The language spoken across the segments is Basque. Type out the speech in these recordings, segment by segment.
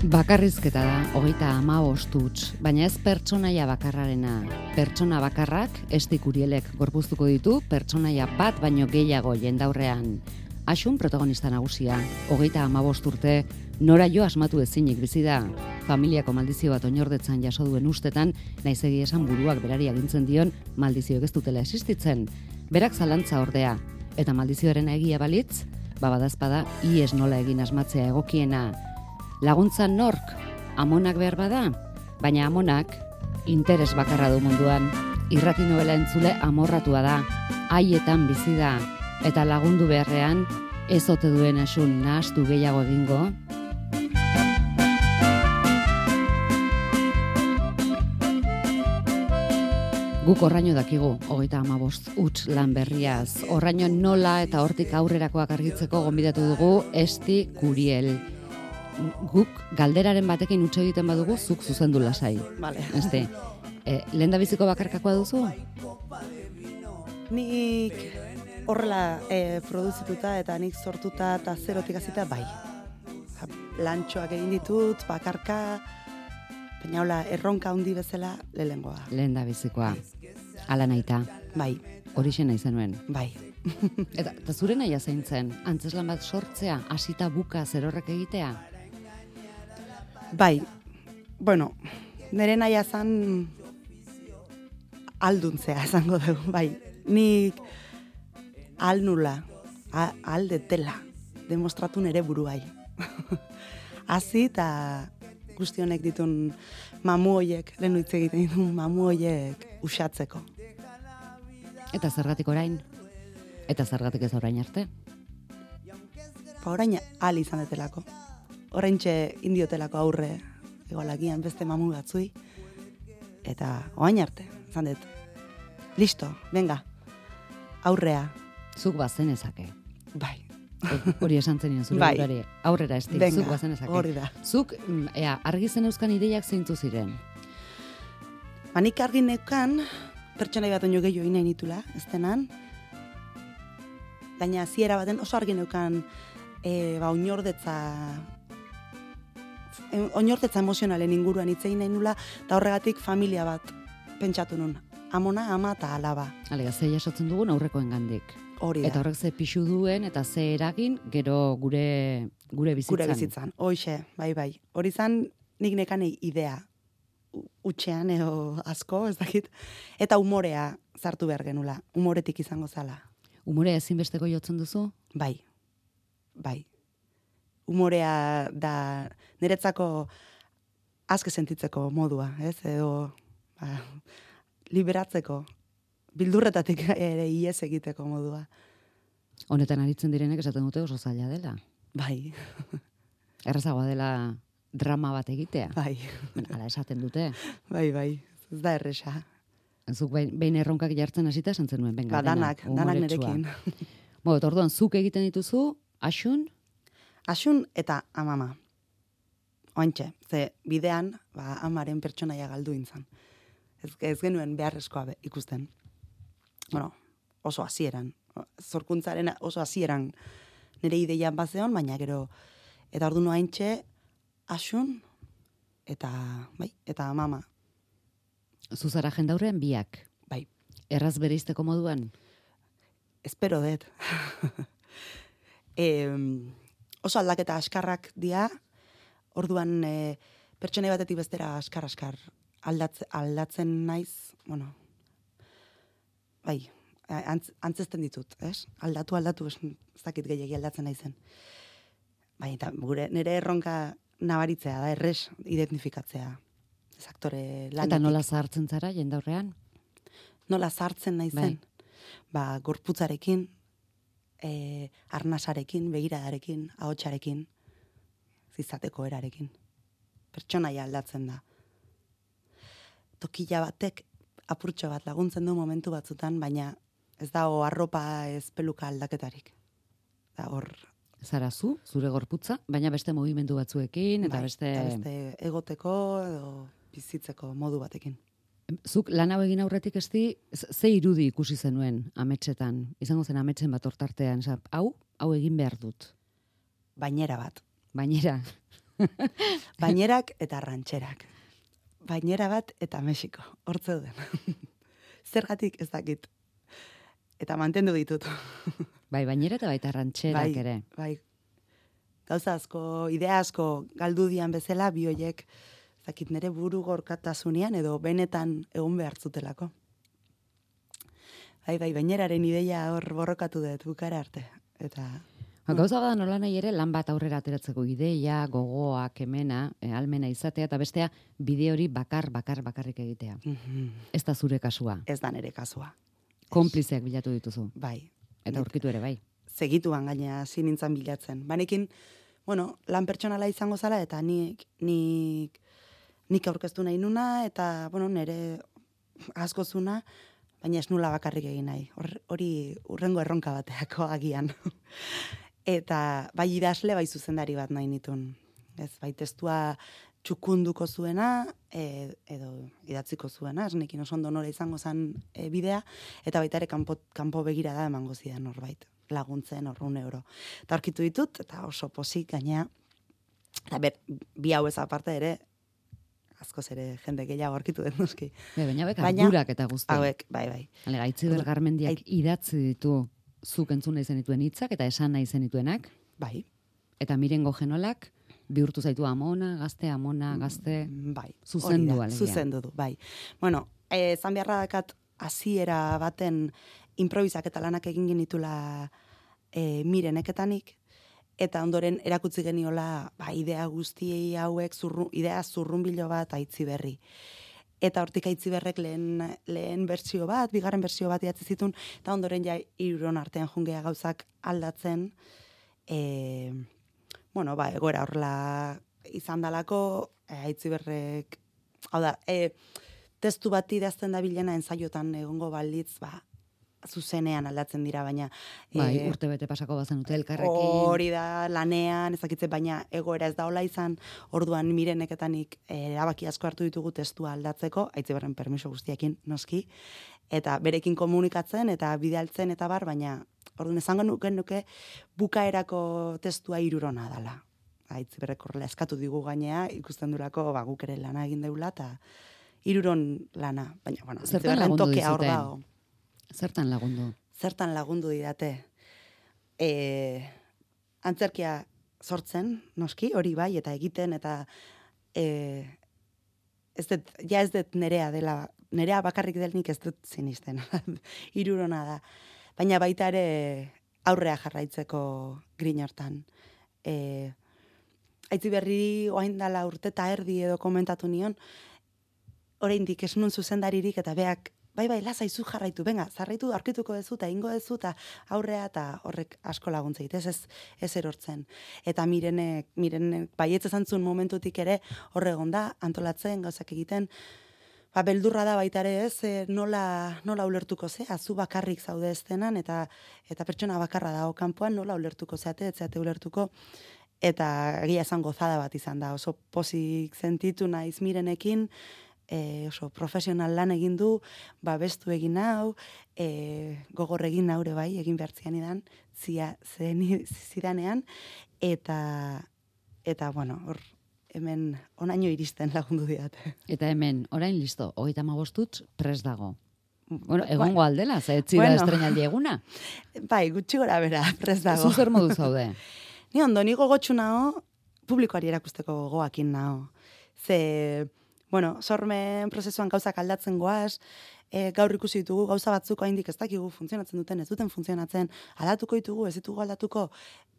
Bakarrizketa da, 35 huts, baina ez pertsonaia bakarrarena. Pertsona bakarrak, Esti Kurielek gorpuztuko ditu, pertsonaia bat baino gehiago jendaurrean. Asun protagonista nagusia, 35 urte, nora jo asmatu ezinik bizi da. Familiako maldizio bat oinordetzan jaso duen ustetan, naiz egia esan buruak berari agintzen dion maldizioek ez dutela existitzen. Berak zalantza ordea, eta maldizioaren egia balitz, badazpada ies nola egin asmatzea egokiena. Laguntza nork, amonak behar bada, baina amonak interes bakarra du munduan. Irrati novela entzule amorratua da, haietan bizi da, eta lagundu beharrean ez ote duen asun nahastu gehiago egingo. Guk Horraino dakigu, 35 huts lan berriaz. Horraino nola eta hortik aurrerakoak argitzeko gonbidatu dugu Esti Kuriel. Guk galderaren batekin utxe egiten badugu, zuk zuzendu lasai. Vale. Este, lehendabiziko bakarkakoa duzu? Nik horrela produzituta eta nik sortuta eta zerotik hasita bai. Lantxoak egin ditut, bakarka, baina hola, erronka handi bezala lehengoa. Lehendabizikoa. Ala nahita. Bai. Horixe nahi zenuen. Bai. Eta zure nahia zein zen, antzeslan bat sortzea, hasita buka zerorrek egitea? Bai, bueno, nire naia zan alduntzea esango dugu, bai. Nik alnula, aldetela, demostratu nire buruai. Hazi eta guztionek ditun mamu hoiek, lehen hitz egiten ditun mamu hoiek usatzeko. Eta zergatik orain? Eta zergatik ez orain arte? Orain ahal izan detelako. Oraintxe indiotelako aurre egolagian beste mamu batzui. Eta orain arte, izan dut. Listo, venga, aurrea. Zuk bazenezake. Bai. Hori esan zenien zure Bai. burari. Aurrera Esti, Venga, zuk bazenezake. hori da. Zuk, argi zen euskan ideiak zeintzu ziren? Nik argi neukan, pertsonai bat oino gehiago inain nitula, ez denan. Baina ziera baten oso argi neukan oinordetza emozionalen inguruan hitzein nahi nula, eta horregatik familia bat pentsatu nun. Amona, ama eta alaba. Alega, ze jasotzen dugun aurrekoen gandik. Hori da. Eta horrek ze pixu duen eta ze eragin gero gure bizitzan. Gure bizitzan, hoxe, bai. Hori zan nik nekanei idea utxean edo asko, ez dakit. Eta umorea zartu behar genula, umoretik izango zala. Umorea ezinbesteko jotzen duzu? Bai. Umorea da niretzako azke sentitzeko modua, ez? Edo liberatzeko, bildurretatik ere ies egiteko modua. Honetan aritzen direnek esaten dute oso zaila dela. Bai. Errazagoa dela drama bat egitea. Bai. Hala esaten dute. Bai. Ez da erresa. Zuk behin erronkak jartzen hasita esan zenuen, benga, Danak umoretsua. nerekin. Orduan, zuk egiten dituzu, Asun eta amama. Oantxe, ze bidean, amaren pertsonaia galdu intzan. Ez genuen beharrezkoa ikusten. Bueno, oso hasieran. Zorkuntzaren oso hasieran nire ideian bazeon, baina gero, eta orduan oantxe, asun eta amama. Zuzara jendaurrean biak. Bai. Erraz bereizteko moduan? Espero dut. Oso aldaketa askarrak dia, orduan pertsonei batetik bestera askar aldatzen naiz, bueno, bai, antzesten ditut, ez? Aldatu, ez dakit gehiagi aldatzen naizen. Bai, eta nire erronka nabaritzea da, errez identifikatzea. Ez aktore lanetik. Eta nola zahartzen zara jendaurrean? Nola zahartzen naizen? Bai. Gorputzarekin, arnasarekin, begiradarekin, ahotsarekin, zizateko erarekin. Pertsonaia aldatzen da. Tokila batek apurtxo bat laguntzen du momentu batzutan, baina ez dago arropa ez peluka aldaketarik. Da hor... Zara zure gorputza, baina beste mugimendu batzuekin, eta bai, beste... Eta beste egoteko edo bizitzeko modu batekin. Zuk lan hau egin aurretik ze irudi ikusi zenuen ametsetan? Izango zen ametsen bat hortartean, hau egin behar dut. Bainera bat. Bainera. Bainerak eta rantxerak. Bainera bat eta Mexiko. Hor zeuden. Zergatik ez dakit. Eta mantendu ditut. Bai, bainera eta baita rantxerak ere. Bai. Gauza asko, idea asko galdu dian bezala, bi hoiek zakit nere buru gorkatasunean edo benetan egon behar zutelako. Bai, baineraren ideia hor borrokatu dut bukara arte. Eta gauza bada nola nahi ere lan bat aurrera ateratzeko ideia, gogoa, kemena, almena izatea, eta bestea bide hori bakarrik egitea. Ez da zure kasua. Ez da nere kasua. Konplizeak bilatu dituzu. Bai. Eta aurkitu ere, bai. Segituan gaina hasi nintzen bilatzen. Banekin, lan pertsonala izango zala, eta nik aurkeztu nahi nuna, eta, nire asko zuna, baina ez nula bakarrik egin nahi. Hori urrengo erronka bateako agian. Eta bai idazle, bai zuzendari bat nahi nitun. Ez, bai testua txukunduko zuena, edo idatziko zuena, esnekin oso ondo nola izango zen bidea, eta baita ere kanpo begirada emango zidan norbait, laguntzen €100. Eta aurkitu ditut, eta oso posik gainea, eta bi hau ez aparte ere, askoz ere jende gehiago aurkitu dut noski. Baina ardurak eta guzti. Hauek, bai. Gaitziber Garmendiak idatzi ditu zuk entzun nahi zenituen hitzak eta esan nahi zenituenak. Bai. Eta Mirengo Genolak bihurtu zaitu amona, gazte, bai. Zuzendu alegia. Zuzendu du, bai. Zan beharra dakat hasiera baten improvisaketa lanak egin genitula Mireneketanik, eta ondoren erakutsi geniola idea guztiei hauek, idea zurrunbilo bat Aitziberri. Eta hortik Aitziberrek lehen bertsio bat, bigarren bertsio bat idatzi zituen, eta ondoren ja hiruron artean jungea gauzak aldatzen, egoera horrela izan dalako, Aitziberrek, hau da, testu bat idazten da bilena ensaiotan egongo balditz, zuzenean aldatzen dira, baina... Bai, urte bete pasako bazen dute elkarrekin. Hori da, lanean, ezakitze, baina egoera ez da hola izan, orduan Mireneketanik erabaki asko hartu ditugu testua aldatzeko, Aitziberren permiso guztiekin noski, eta berekin komunikatzen, eta bidaltzen, eta baina orduan esango nuke bukaerako testua 3 dala. Aitziberrek horrela eskatu digu gainea, ikusten durako guk ere lana egin deula, eta 3 lana. Baina, Aitziberren tokea hor dago. Zertan lagundu? Zertan lagundu didate. Antzerkia sortzen, noski, hori bai, eta egiten, eta ez dut nerea dela, nerea bakarrik delnik ez dut zinisten. 3 da. Baina baita ere aurrea jarraitzeko grin hortan. Aitziberri oain dala urte eta erdi edo komentatu nion, oraindik ez nun zuzendaririk eta beak bai, lasaizu jarraitu, zarraitu, aurkituko dezu, eta ingo dezu, eta aurrea, eta horrek asko laguntzeit, ez erortzen. Eta Mirenek baietz ezantzun momentutik ere, horregon da, antolatzen, gauzak egiten, beldurra da baita ere ez, nola ulertuko zea, zu bakarrik zaude estenan, eta pertsona bakarra dago kanpoan, nola ulertuko zeate, etzeate ulertuko, eta egia esan gozada bat izan da, oso pozik sentitu naiz Mirenekin, oso profesional lan egin du, bestu egin hau, gogor egin haure bai, egin behartzian idan, zidanean, eta hor, hemen onaino iristen lagundu diate. Eta hemen, orain listo, 35 prest dago. Egongo aldela, zaetzi da estrenaldi eguna? Bai, gutxi gora bera, prest dago. Zuzer modu zaude? Ni ondo, ni gogotxu nao, publikoari erakusteko gogoakin nao. Sormen prozesuan gauzak aldatzen goaz, gaur ikusi ditugu gauza batzuk haindik ez dakigu funtzionatzen duten, ez duten funtzionatzen, aldatuko ditugu, ez ditugu aldatuko,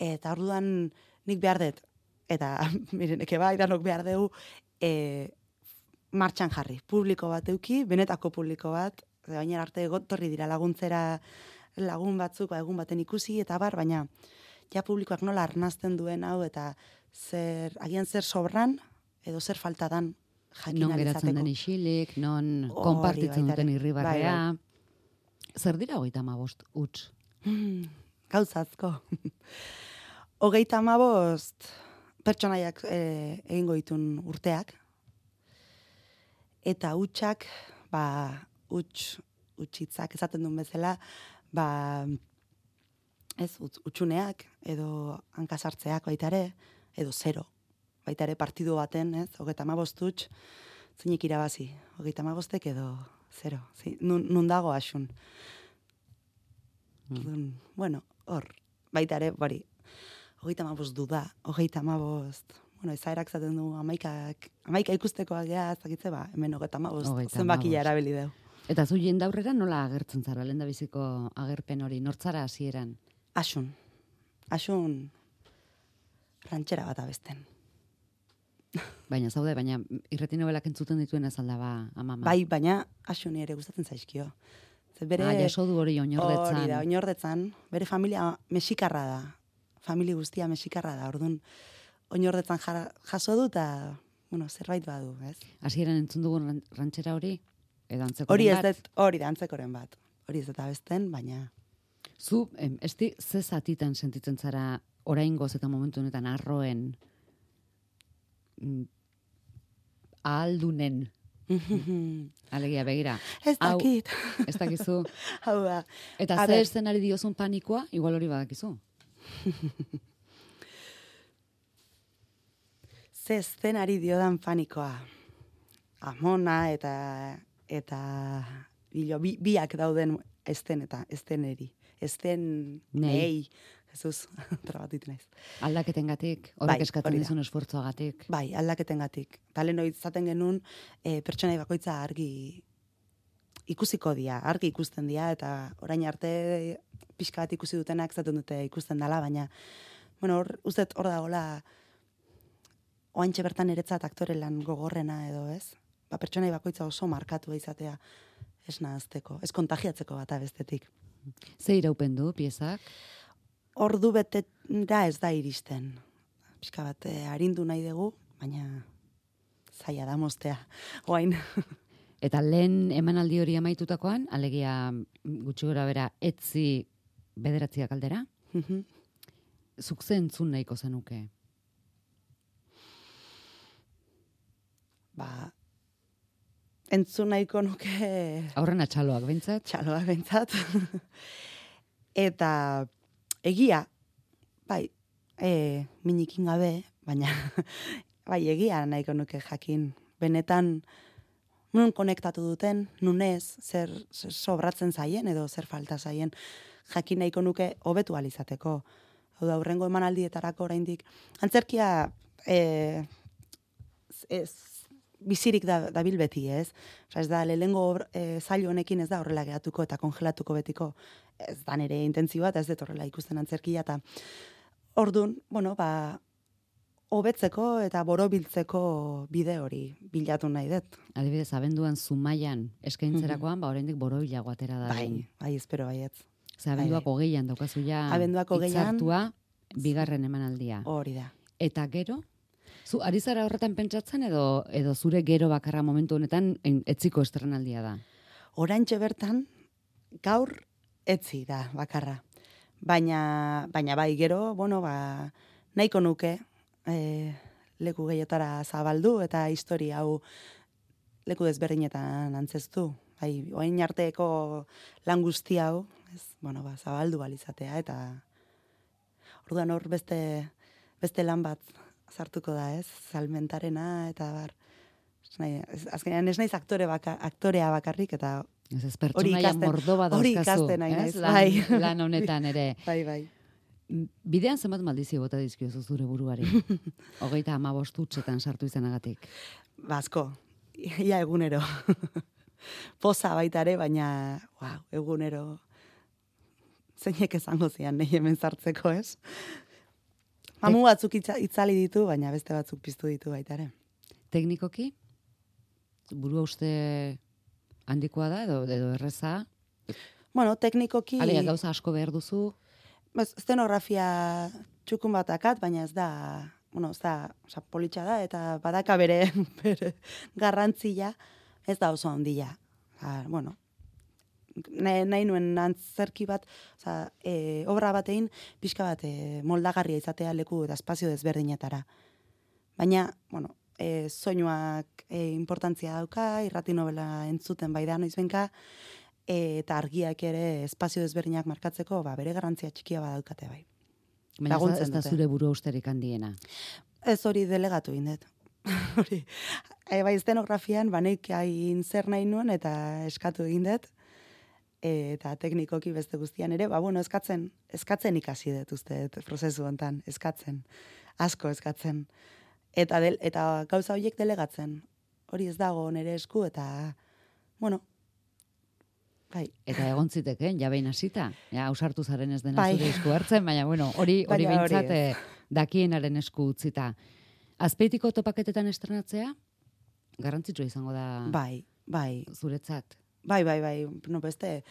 eta orduan nik behar dut, eta Mireneke bai, danok behar dugu, martxan jarri, publiko bat euki, benetako publiko bat, baina arte gotorri dira laguntzera lagun batzuk, egun baten ikusi, eta baina ja publikoak nola arnazten duen hau, eta agian zer sobran, edo zer faltadan, non geratzen den isilik, non konpartitzen duten irribarrea. Zer dira 35 huts? Gauzazko. 35 pertsonaiak egingo ditun urteak, eta hutsak utxitzak esaten duen bezala, utxuneak, edo hankasartzeak baitare, edo zero. Baitare partidu baten, 35 utx, zeinik irabazi. 35 edo zero. Nun dago asun. Bueno, hor, baitare, 35 duda, 35, ezaerak zaten du, 11 ikustekoak gea, zakitze, hemen 35 zenbakia erabili deu. Eta zu jendaurrera nola agertzen zara, lehen da biziko agerpen hori, nortzara hasieran? Asun rantxera bat abesten. Baina irrati nobelak entzuten dituen ez alda amama. Bai, baina asuni ere gustatzen zaizkio. Jaso du hori oinordetzan. Hori da, oinordetzan. Bere familia mexikarra da. Familia guztia mexikarra da. Orduan, oinordetzan jaso du eta, zerbait badu, ez? Hasieran entzun dugun rantxera hori? Edo antzekoren hori bat? Hori da, antzekoren bat. Hori ez eta besten, baina... Zu, ze zatitan sentitzen zara oraingoz eta momentu honetan arroen ahaldunen? Alegia, begira. Ez dakit. Ez dakizu. Hau da. Eta ze eszenari diozun panikoa, igual hori badakizu. Ze eszenari diodan panikoa. Amona eta biak dauden esteneri. Nei. Jesus, trabatitu naiz. Aldaketengatik, horrek eskatzen dizun esfortzuagatik. Bai, aldaketengatik. Talen hori izaten genuen, pertsonai bakoitza argi ikusiko dia, argi ikusten dia, eta orain arte pixka bat ikusi dutenak zaten dute ikusten dela, baina, uzet hor dagoela, oantxe bertan eretzat aktore lan gogorrena edo, ez? Pertsonai bakoitza oso markatu izatea ez nahazteko, ez kontagiatzeko bat bestetik. Ze iraupen du, piezak? Ordu betera ez da iristen. Pixka bat arindu nahi dugu, baina zaila da moztea. Oain. Eta lehen emanaldi hori amaitutakoan, alegia gutxi gora bera etzi bederatziak aldera? Zuk ze entzun nahiko zenuke? Entzun nahiko nuke... Aurrena txaloak bentsat? Txaloak bentsat. Eta... Egia, minikin gabe, baina egia nahiko nuke jakin. Benetan, nun konektatu duten, nun ez, zer sobratzen zaien edo zer falta zaien, jakin nahiko nuke hobetu alizateko. Hau da, hurrengo emanaldietarako oraindik. Antzerkia bizirik dabil beti, ez? Ez da, lehengo zailo honekin ez da horrela geratuko eta kongelatuko betiko. Ez da nire intentzioa eta ez dut horrela ikusten antzerkia. Eta orduan, hobetzeko eta borobiltzeko bide hori bilatu nahi dut. Adibidez, abenduan Zumaian eskaintzerakoan, oraindik borobilago atera da. Bai, espero baietz. Abenduak 20an daukazu ja hitzartua, bigarren emanaldia. Hori da. Eta gero? Zu, ari zara horretan pentsatzen edo zure gero bakarra momentu honetan etziko estrenaldia da? Oraintxe bertan, gaur etzi da bakarra. Baina bai gero, nahiko nuke leku gehiotara zabaldu eta historia hau leku desberdinetan antzeztu. Oain arteko lan guzti hau, zabaldu balizatea eta orduan hor beste lan bat sartuko da, ez? Salmentarena eta bar. Azkenean ez naiz aktorea bakarrik eta ez pertsonaia mordoba dauzkazu. Hori ikasten nahi naiz. Lan honetan ere. Bai. Bidean zenbat maldizio bota dizkiozu zure buruari? 35 utxetan sartu izanagatik. Asko, ia egunero. Poza baitare, baina egunero zeinek esango zian nahi hemen sartzeko, ez? Mamu batzuk itzali ditu, baina beste batzuk piztu ditu baitare. Teknikoki? Burua uste handikoa da edo erreza? Teknikoki... Alia, gauza asko behar duzu? Szenografia txukun batakat, baina ez da, politxa da, eta badaka bere garrantzia, ez da oso handia. Nahi nuen antzerki bat, obra batein, pixka bat moldagarria izatea leku eta espazio desberdinetara. Baina, soinuak importantzia dauka, irrati novela entzuten bai da noizbenka, eta argiak ere espazio desberdinak markatzeko, bere garrantzia txikia badaukate bai. Baina ez da zure buru usterik handiena. Ez hori delegatu indet. Hori, bai estenografian, banek hain zer nahi nuen, eta eskatu indet, eta teknikoki beste guztian ere, eskatzen ikasi dut uste, prozesu hontan, asko eskatzen. Eta gauza horiek delegatzen. Hori ez dago nire esku, eta, bai. Eta egon ziteke, behin hasita, ausartu zaren ez dena zure esku hartzen, baina, hori behintzat dakienaren esku utzita. Azpeitiko topaketetan estrenatzea, garrantzitsua izango da zuretzat. Bai. No, beste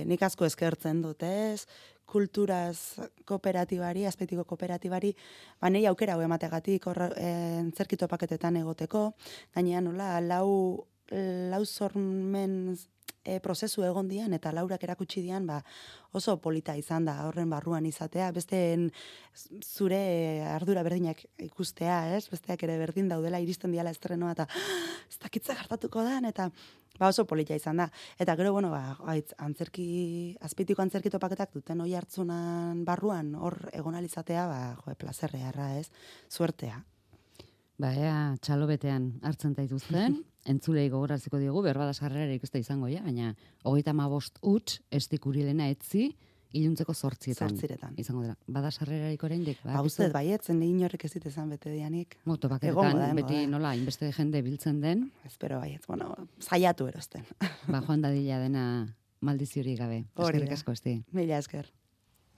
nik asko eskertzen dut, ez? Kulturaz kooperatibari, Azpeitiko kooperatibari, nei aukera hau emategatik antzerki topaketetan egoteko, gainean nola, lau sormen prozesu egon dian, eta laurak erakutsi dian, oso polita izan da horren barruan izatea, besteen zure ardura berdinak ikustea, ez? Besteak ere berdin daudela, iristen diala estrenoa, eta ez dakitza gertatuko da, eta oso polita izan da. Eta gero, Azpeitiko antzerki topaketak duten hoi hartzunan barruan, hor egonalizatea, plazerrearra, ez? Suertea. Ea, txalo betean hartzen daituzten, entzulei gogoraziko diogu, berbada sarrerarik ez da izango, baina 35 huts estikurilena etzi, iluntzeko 8 izango dela. Bada sarrerarik oraindik? Uste, baiet, inorrek ez ditezan bete dianik. Topaketetan, beti nola, inbeste jende biltzen den. Espero baiet, zaiatu erosten. Joan dadila dena maldiziorik gabe. Eskerrik asko, Esti. Mila esker.